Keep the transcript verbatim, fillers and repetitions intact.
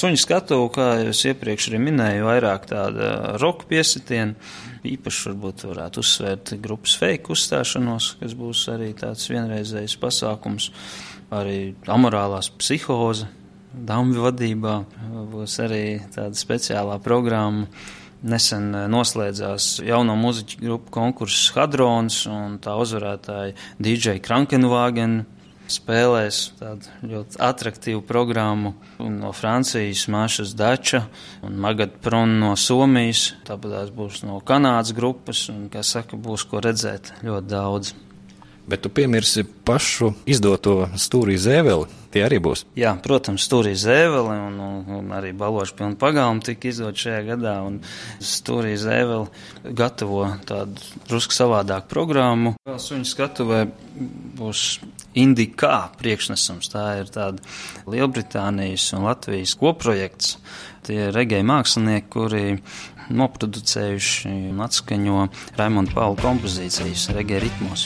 Suņu skatuve, kā jau es iepriekš arī minēju, vairāk tāda roka piesitiena. Īpaši varbūt varētu uzsvērt grupas Fake uzstāšanos, kas būs arī tāds vienreizējs pasākums. Arī amorālās psihoze, Dambi vadībā būs arī tāda speciālā programma. Nesen noslēdzās jauno muziķu grupu konkurss Hadrons, un tā uzvarētāja D J Krankenwagen spēlēs tādu ļoti atraktīvu programmu no Francijas Mašas Dača un Magad Pron no Somijas. Tāpat būs no Kanādas grupas, un, kā saka, būs ko redzēt ļoti daudz. Bet tu piemirsi pašu izdoto Stūrī Zēveli. Tie arī būs. Jā, protams, Stūrī Zēveli un, un, un arī Balošu pilnu pagalmu tika izdot šajā gadā. Un Stūrī Zēveli gatavo tādu drusku savādāku programmu. Vēl suņu skatuvē būs Indikā priekšnesums. Tā ir tāda Lielbritānijas un Latvijas koprojekts. Tie ir regēja mākslinieki, kuri noproducējuši un atskaņo Raimonda Paula kompozīcijas regēja ritmos.